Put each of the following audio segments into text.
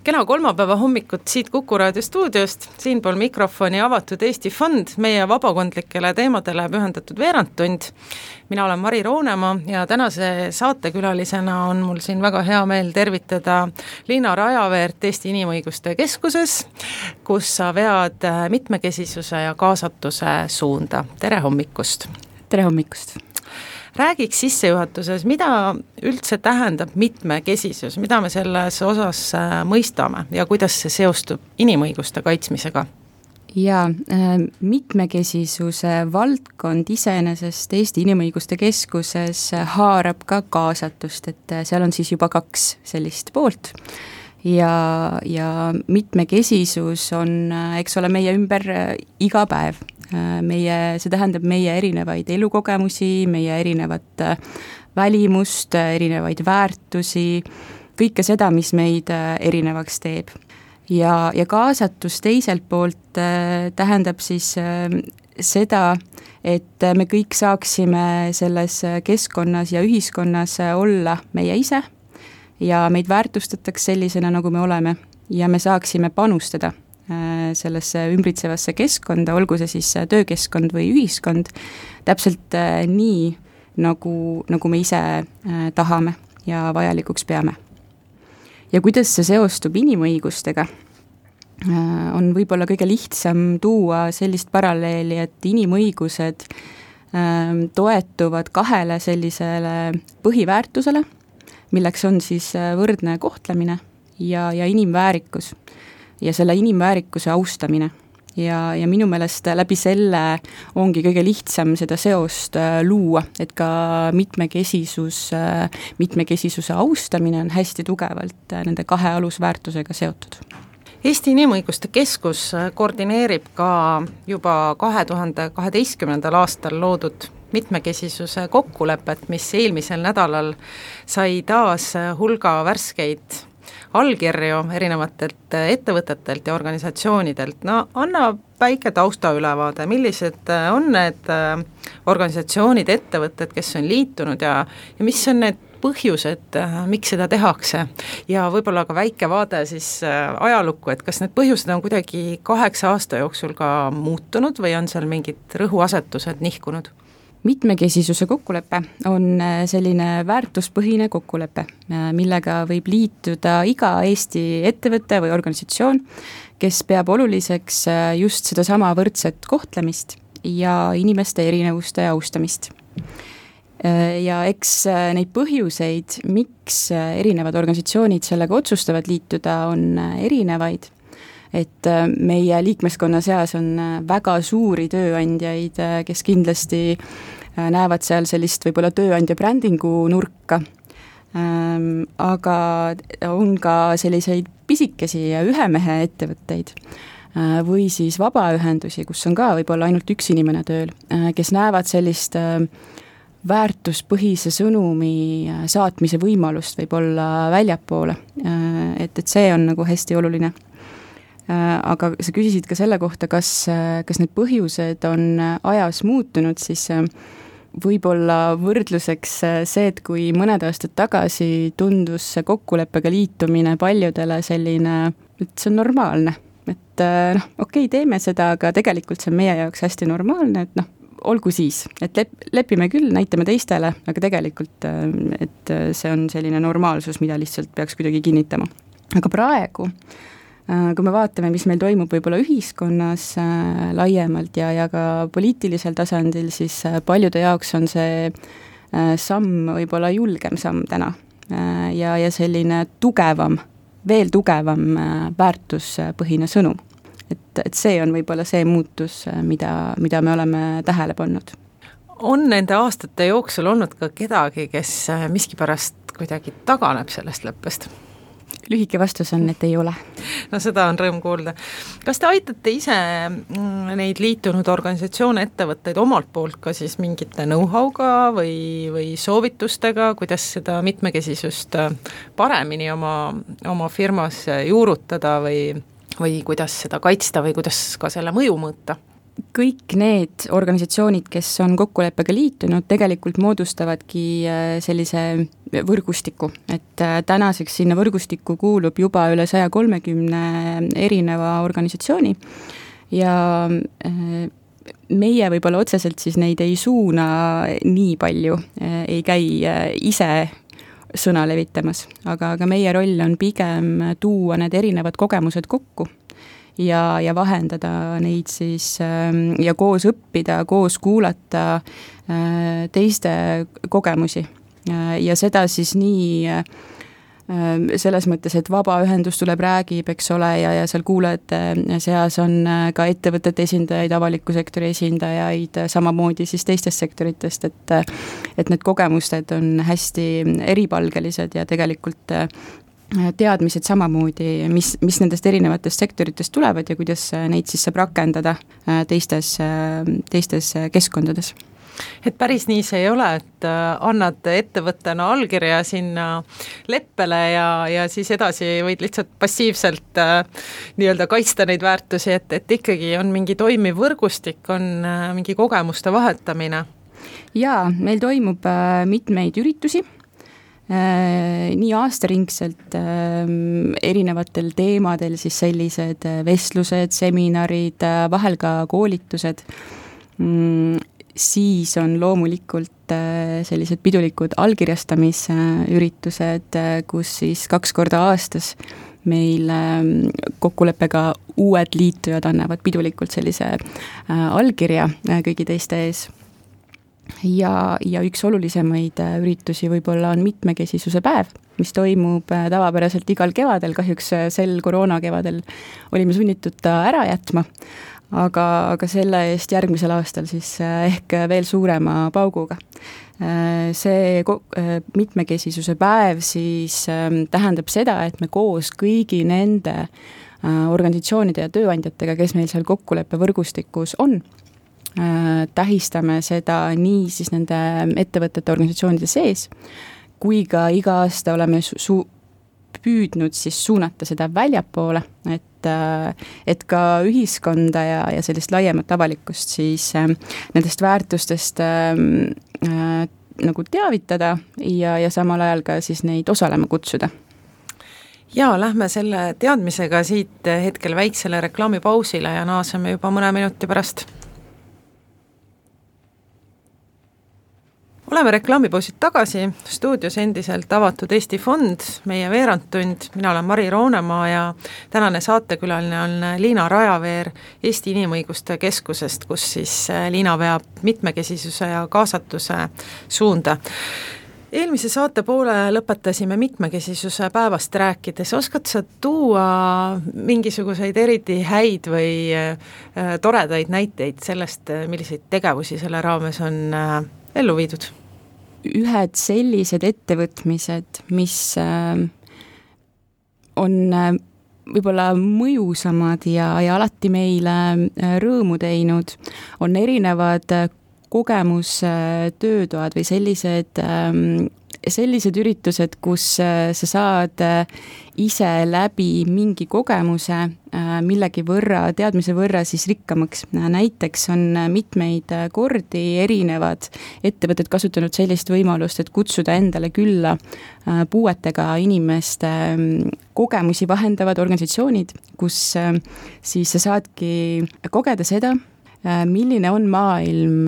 Kena kolmapäeva hommikut siit Kuku Raadio stuudiost, siinpool mikrofoni Avatud Eesti Fond, meie vabakondlikele teemadele pühendatud veerandtund. Mina olen Mari Roonemaa ja tänase saatekülalisena on mul siin väga hea meel tervitada Liina Rajaveert Eesti Inimõiguste Keskuses, kus sa vead mitmekesisuse ja kaasatuse suunda. Tere hommikust! Tere hommikust! Räägiks sissejuhatuses, mida üldse tähendab mitmekesisus, mida me selles osas mõistame ja kuidas see seostub inimõiguste kaitsmisega? Ja mitmekesisuse valdkond iseenesest Eesti Inimõiguste Keskuses haarab ka kaasatust, et seal on siis juba 2 sellist poolt. Ja mitmekesisus on, eks ole, meie ümber iga päev. See tähendab meie erinevaid elukogemusi, meie erinevat välimust, erinevaid väärtusi, kõike seda, mis meid erinevaks teeb. Ja kaasatus teiselt poolt tähendab siis seda, et me kõik saaksime selles keskkonnas ja ühiskonnas olla meie ise ja meid väärtustataks sellisena, nagu me oleme ja me saaksime panustada sellesse ümbritsevasse keskkonda, olgu see siis töökeskkond või ühiskond, täpselt nii, nagu me ise tahame ja vajalikuks peame. Ja kuidas see seostub inimõigustega, on võib-olla kõige lihtsam tuua sellist paralleeli, et inimõigused toetuvad 2 sellisele põhiväärtusele, milleks on siis võrdne kohtlemine ja inimväärikus. Ja selle inimväärikuse austamine. Ja minu meelest läbi selle ongi kõige lihtsam seda seost luua, et ka mitmekesisuse austamine on hästi tugevalt nende 2 alusväärtusega seotud. Eesti Inimõiguste Keskus koordineerib ka juba 2012. aastal loodud mitmekesisuse kokkulepet, mis eelmisel nädalal sai taas hulga värskeid allkirju erinevatelt ettevõtetelt ja organisatsioonidelt. No anna väike taustaülevaade, millised on need organisatsioonid, ettevõtted, kes on liitunud ja mis on need põhjused, miks seda tehakse ja võib-olla ka väike vaade siis ajalukku, et kas need põhjused on kuidagi 8 aasta jooksul ka muutunud või on seal mingid rõhuasetused nihkunud? Mitmekesisuse kokkulepe on selline väärtuspõhine kokkulepe, millega võib liituda iga Eesti ettevõte või organisatsioon, kes peab oluliseks just seda sama võrdset kohtlemist ja inimeste erinevuste austamist. Ja eks neid põhjuseid, miks erinevad organisatsioonid sellega otsustavad liituda, on erinevaid. Et meie liikmeskonna seas on väga suuri tööandjaid, kes kindlasti näevad seal sellist võib-olla tööandja brändingu nurka, aga on ka selliseid pisikesi ja ühemehe ettevõtteid või siis vabaühendusi, kus on ka võib-olla ainult 1 inimene tööl, kes näevad sellist väärtuspõhise sõnumi saatmise võimalust võib-olla väljapoole, et see on nagu hästi oluline. Aga sa küsisid ka selle kohta, kas need põhjused on ajas muutunud, siis võib-olla võrdluseks see, et kui mõned aastad tagasi tundus see kokkuleppega liitumine paljudele selline, et see on normaalne, et okei, teeme seda, aga tegelikult see on meie jaoks hästi normaalne, et olgu siis, et lepime küll, näitame teistele, aga tegelikult, et see on selline normaalsus, mida lihtsalt peaks kuidagi kinnitama. Aga praegu kui me vaatame, mis meil toimub võib-olla ühiskonnas laiemalt ja ka poliitilisel tasandil, siis paljude jaoks on see samm võib-olla julgem samm täna ja selline veel tugevam väärtuspõhine sõnum. Et see on võib-olla see muutus, mida me oleme tähele pannud. On nende aastate jooksul olnud ka kedagi, kes miskipärast kuidagi taganeb sellest leppest? Lühike vastus on, et ei ole. No seda on rõõm kuulda. Kas te aitate ise neid liitunud organisatsioone, ettevõtteid omalt poolt ka siis mingite know-how'ga või soovitustega, kuidas seda mitmekesisust paremini oma firmas juurutada või kuidas seda kaitsta või kuidas ka selle mõju mõõta? kõik need organisatsioonid, kes on kokkuleppega liitunud, tegelikult moodustavadki sellise võrgustiku, et tänaseks sinna võrgustikku kuulub juba üle 130 erineva organisatsiooni ja meie võib-olla otseselt siis neid ei suuna nii palju, ei käi ise sõna levitamas, aga meie roll on pigem tuua need erinevad kogemused kokku ja vahendada neid siis ja koos õppida, koos kuulata teiste kogemusi ja seda siis nii selles mõttes, et vabaühendus tuleb, räägib, eks ole, ja seal kuulajate seas on ka ettevõtete esindajaid, avaliku sektori esindajaid, samamoodi siis teistest sektoritest, et need kogemused on hästi eripalgelised ja tegelikult teadmised samamoodi, mis nendest erinevatest sektoritest tulevad ja kuidas neid siis saab rakendada teistes keskkondades. Et päris nii see ei ole, et annad ettevõttena allkirja sinna leppele ja siis edasi võid lihtsalt passiivselt nii-öelda kaitsta neid väärtusi, et ikkagi on mingi toimiv võrgustik, on mingi kogemuste vahetamine. Jaa, meil toimub mitmeid üritusi, nii aastaringselt erinevatel teemadel siis sellised vestlused, seminarid, vahel ka koolitused, siis on loomulikult sellised pidulikud allkirjastamisüritused, kus siis 2 korda aastas meil kokkuleppega uued liitujad annavad pidulikult sellise allkirja kõigi teiste ees. Ja üks olulisemaid üritusi võib-olla on mitmekesisuse päev, mis toimub tavapäraselt igal kevadel, kahjuks sel koroona kevadel olime sunnitud ta ära jätma, aga selle eest järgmisel aastal siis ehk veel suurema pauguga. See mitmekesisuse päev siis tähendab seda, et me koos kõigi nende organisatsioonide ja tööandjatega, kes meil seal kokkuleppe võrgustikus on, tähistame seda nii siis nende ettevõtete organisatsioonide sees, kui ka iga aasta oleme püüdnud siis suunata seda väljapoole, et ka ühiskonda ja sellist laiemat avalikkust siis nendest väärtustest nagu teavitada ja samal ajal ka siis neid osalema kutsuda. Ja lähme selle teadmisega siit hetkel väiksele reklaamipausile ja naaseme juba mõne minuti pärast. Oleme reklaamipausid tagasi, stuudios endiselt avatud Eesti Fond, meie veerandtund, mina olen Mari Roonemaa ja tänane saatekülaline on Liina Rajaveer Eesti Inimõiguste Keskusest, kus siis Liina veab mitmekesisuse ja kaasatuse suunda. Eelmise saate poole lõpetasime mitmekesisuse päevast rääkides. Oskad sa tuua mingisuguseid eriti häid või toredaid näiteid sellest, milliseid tegevusi selle raames on ellu viidud? Ühed sellised ettevõtmised, mis on võib-olla mõjusamad ja alati meile rõõmu teinud, on erinevad kogemustöötoad või sellised üritused, kus sa saad ise läbi mingi kogemuse millegi võrra, teadmise võrra siis rikkamaks. Näiteks on mitmeid kordi erinevad ettevõtted kasutanud sellist võimalust, et kutsuda endale külla puuetega inimeste kogemusi vahendavad organisatsioonid, kus siis sa saadki kogeda seda, milline on maailm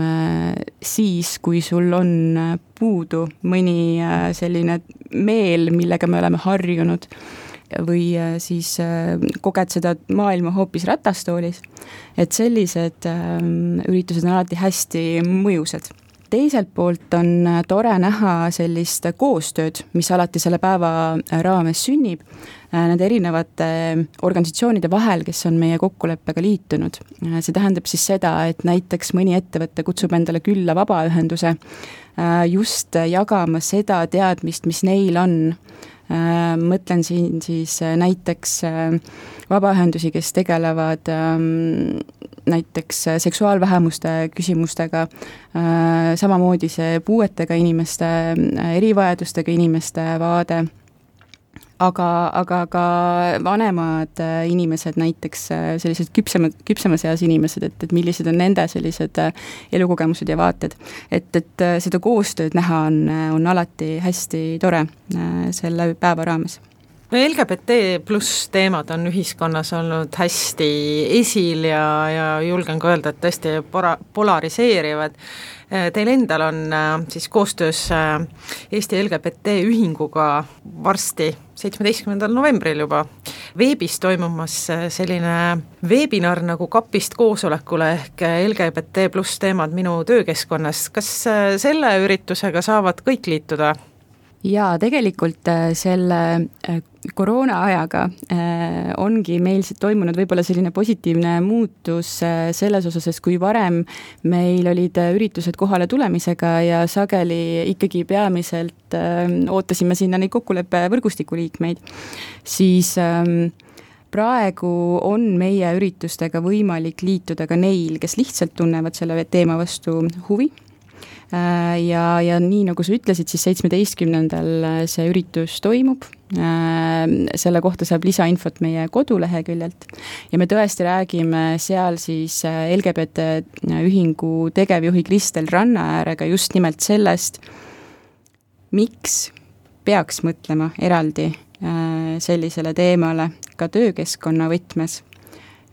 siis, kui sul on puudu mõni selline meel, millega me oleme harjunud, või siis koged seda maailma hoopis ratastoolis, et sellised üritused on alati hästi mõjusad. Teiselt poolt on tore näha sellist koostööd, mis alati selle päeva raames sünnib, nende erinevate organisatsioonide vahel, kes on meie kokkuleppega liitunud. See tähendab siis seda, et näiteks mõni ettevõte kutsub endale külla vabaühenduse just jagama seda teadmist, mis neil on. Mõtlen siin siis näiteks vabaühendusi, kes tegelevad näiteks seksuaalvähemuste küsimustega, samamoodi see puuetega inimeste, erivajadustega inimeste vaade aga ka vanemad inimesed, näiteks sellised küpsemas eas inimesed, et millised on nende sellised elukogemused ja vaated. Et seda koostööd näha on alati hästi tore selle päeva raames. No LGBT pluss teemad on ühiskonnas olnud hästi esil ja julgen ka öelda, et tõesti polariseerivad. Teil endal on siis koostöös Eesti LGBT ühinguga varsti 17. novembril juba veebis toimumas selline webinar nagu Kapist koosolekule ehk LGBT pluss teemad minu töökeskkonnas. Kas selle üritusega saavad kõik liituda? Jaa, tegelikult selle koroona ajaga ongi meil toimunud võib-olla selline positiivne muutus selles osas, et kui varem meil olid üritused kohale tulemisega ja sageli ikkagi peamiselt ootasime sinna neid kokkuleppe võrgustiku liikmeid, siis praegu on meie üritustega võimalik liituda ka neil, kes lihtsalt tunnevad selle teema vastu huvi. Ja nii nagu sa ütlesid, siis 17. see üritus toimub, selle kohta saab lisainfot meie koduleheküljelt ja me tõesti räägime seal siis LGBT ühingu tegevjuhi Kristel Rannaäärega just nimelt sellest, miks peaks mõtlema eraldi sellisele teemale ka töökeskkonna võtmes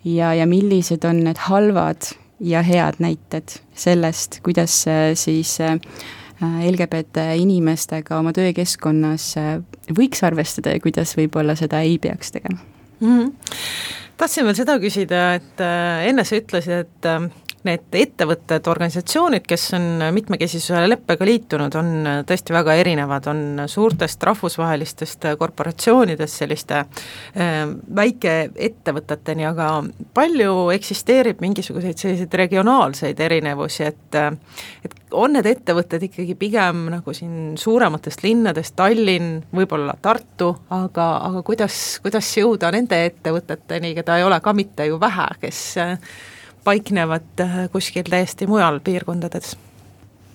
ja millised on need halvad ja head näited sellest, kuidas siis LGBT inimestega oma töökeskkonnas võiks arvestada ja kuidas võib-olla seda ei peaks tegema. Tahtsin veel seda küsida, et enne sa ütlesid, et need ettevõtted, organisatsioonid, kes on mitmekesisuse leppega liitunud, on tõesti väga erinevad, on suurtest rahvusvahelistest korporatsioonidest selliste väikeettevõteteni, aga palju eksisteerib mingisuguseid selliseid regionaalseid erinevusi, et on need ettevõtted ikkagi pigem nagu siin suurematest linnadest, Tallinn, võib-olla Tartu, aga kuidas jõuda nende ettevõteteni, keda ei ole ka mitte ju vähe, kes paiknevad kuskil täiesti mujal piirkondades?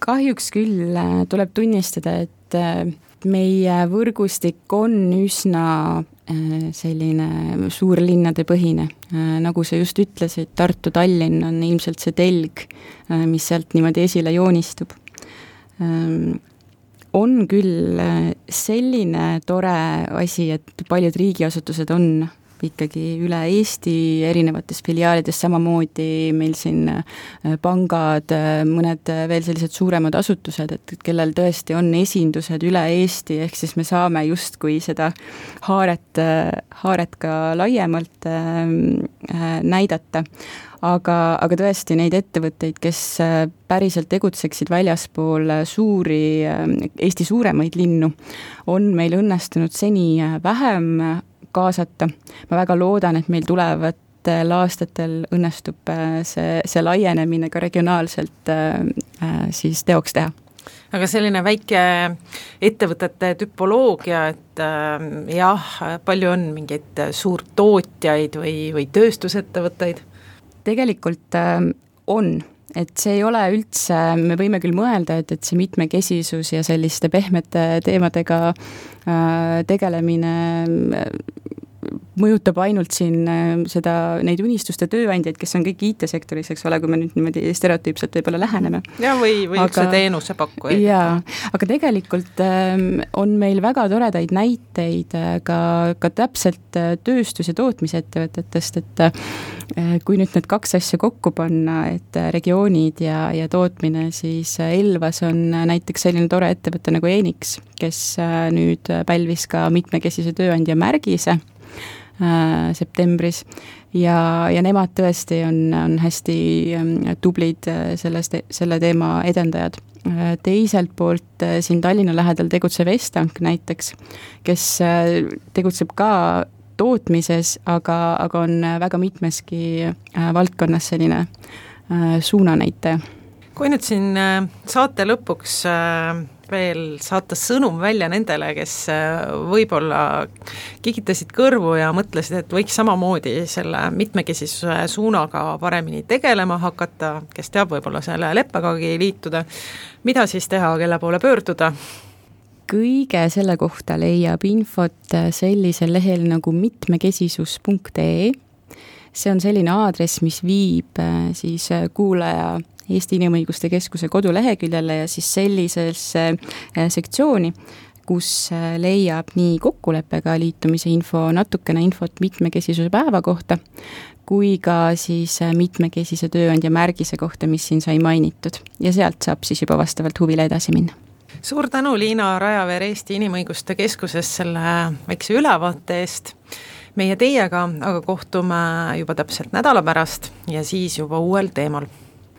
Kahjuks küll tuleb tunnistada, et meie võrgustik on üsna selline suurlinnade põhine. Nagu sa just ütlesid, Tartu, Tallinn on ilmselt see telg, mis sealt niimoodi esile joonistub. On küll selline tore asi, et paljud riigiasutused on ikkagi üle Eesti erinevates filiaalides, samamoodi meil siin pangad, mõned veel sellised suuremad asutused, et kellel tõesti on esindused üle Eesti, ehk siis me saame justkui seda haaret ka laiemalt näidata. Aga tõesti neid ettevõtteid, kes päriselt tegutseksid väljaspool Eesti suuremaid linnu, on meil õnnestunud seni vähem kaasata. Ma väga loodan, et meil tulevatel aastatel õnnestub see laienemine ka regionaalselt siis teoks teha. Aga selline väike ettevõtete tüpoloogia, et jah, palju on mingeid suurtootjaid või tööstusettevõtteid? Tegelikult on. Et see ei ole üldse, me võime küll mõelda, et see mitmekesisus ja selliste pehmete teemadega tegelemine mõjutab ainult siin neid unistuste tööandjaid, kes on kõik IT-sektoris, eks ole, kui me nüüd niimoodi stereotüüpselt võib-olla läheneme. Ja või üldse teenuse pakkujaid. Jaa, aga tegelikult on meil väga toredaid näiteid ka täpselt tööstus- ja tootmisettevõtetest, et kui nüüd need kaks asja kokku panna, et regioonid ja tootmine, siis Elvas on näiteks selline tore ettevõte nagu Enix, kes nüüd pälvis ka mitmekesise tööandja märgise septembris ja nemad tõesti on hästi tublid selle teema edendajad. Teiselt poolt siin Tallinna lähedal tegutsev Estank näiteks, kes tegutseb ka tootmises, aga on väga mitmeski valdkonnas selline suunanäitaja. Kui nüüd siin saate lõpuks veel saata sõnum välja nendele, kes võib-olla kikitasid kõrvu ja mõtlesid, et võiks samamoodi selle mitmekesisuse suunaga paremini tegelema hakata, kes teab võib-olla selle leppegagi liituda, mida siis teha, kelle poole pöörduda? kõige selle kohta leiab infot sellisel lehel nagu mitmekesisus.ee. See on selline aadress, mis viib siis kuulaja Eesti Inimõiguste Keskuse koduleheküljele ja siis sellisesse sektsiooni, kus leiab nii kokkuleppega liitumise info, natukene infot mitmekesisuse päeva kohta, kui ka siis mitmekesise tööandja märgise kohta, mis siin sai mainitud. Ja sealt saab siis juba vastavalt huvile edasi minna. Suur tänu, Liina Rajaveer Eesti Inimõiguste Keskuses selle väikse ülevaate eest. Meie teiega aga kohtume juba täpselt nädala pärast ja siis juba uuel teemal.